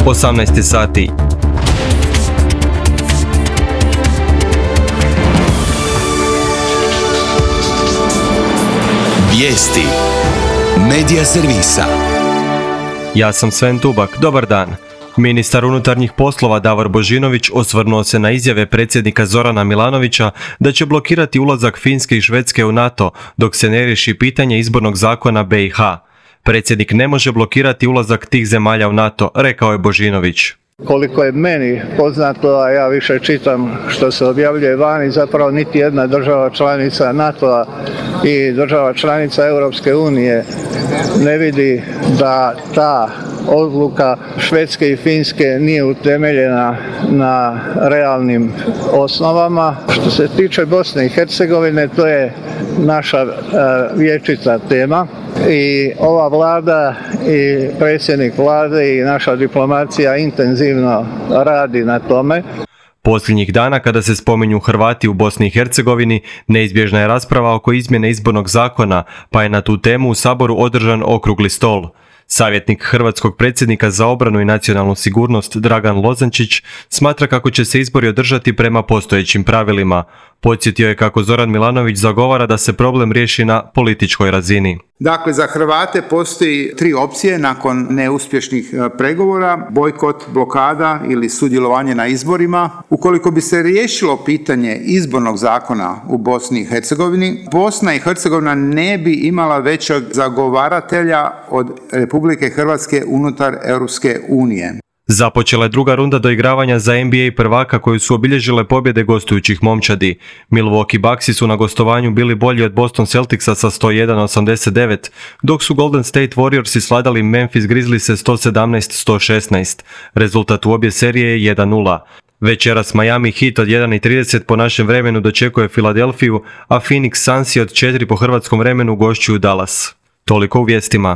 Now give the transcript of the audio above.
18 sati. Vijesti Medija servisa. Ja sam Sven Tubak, dobar dan. Ministar unutarnjih poslova Davor Božinović osvrnuo se na izjave predsjednika Zorana Milanovića da će blokirati ulazak Finske i Švedske u NATO dok se ne riješi pitanje izbornog zakona BiH. Predsjednik ne može blokirati ulazak tih zemalja u NATO, rekao je Božinović. Koliko je meni poznato, a ja više čitam što se objavljuje vani, zapravo niti jedna država članica NATO-a i država članica Europske unije ne vidi da ta odluka Švedske i Finske nije utemeljena na realnim osnovama. Što se tiče Bosne i Hercegovine, to je naša vječita tema i ova vlada i predsjednik vlade i naša diplomacija intenzivno radi na tome. Posljednjih dana kada se spominju Hrvati u Bosni i Hercegovini, neizbježna je rasprava oko izmjene izbornog zakona, pa je na tu temu u Saboru održan okrugli stol. Savjetnik hrvatskog predsjednika za obranu i nacionalnu sigurnost Dragan Lozančić smatra kako će se izbori održati prema postojećim pravilima. Podsjetio je kako Zoran Milanović zagovara da se problem riješi na političkoj razini. Dakle, za Hrvate postoji 3 opcije nakon neuspješnih pregovora: bojkot, blokada ili sudjelovanje na izborima. Ukoliko bi se riješilo pitanje izbornog zakona u Bosni i Hercegovini, Bosna i Hercegovina ne bi imala većeg zagovaratelja od Republike Hrvatske unutar Europske unije. Započela je druga runda doigravanja za NBA prvaka koju su obilježile pobjede gostujućih momčadi. Milwaukee Bucksi su na gostovanju bili bolji od Boston Celticsa sa 101-89, dok su Golden State Warriorsi sladali Memphis Grizzliese 117-116. Rezultat u obje serije je 1-0. Večeras Miami Heat od 1:30 po našem vremenu dočekuje Filadelfiju, a Phoenix Sunsi od 4 po hrvatskom vremenu gošćuju Dallas. Toliko u vijestima.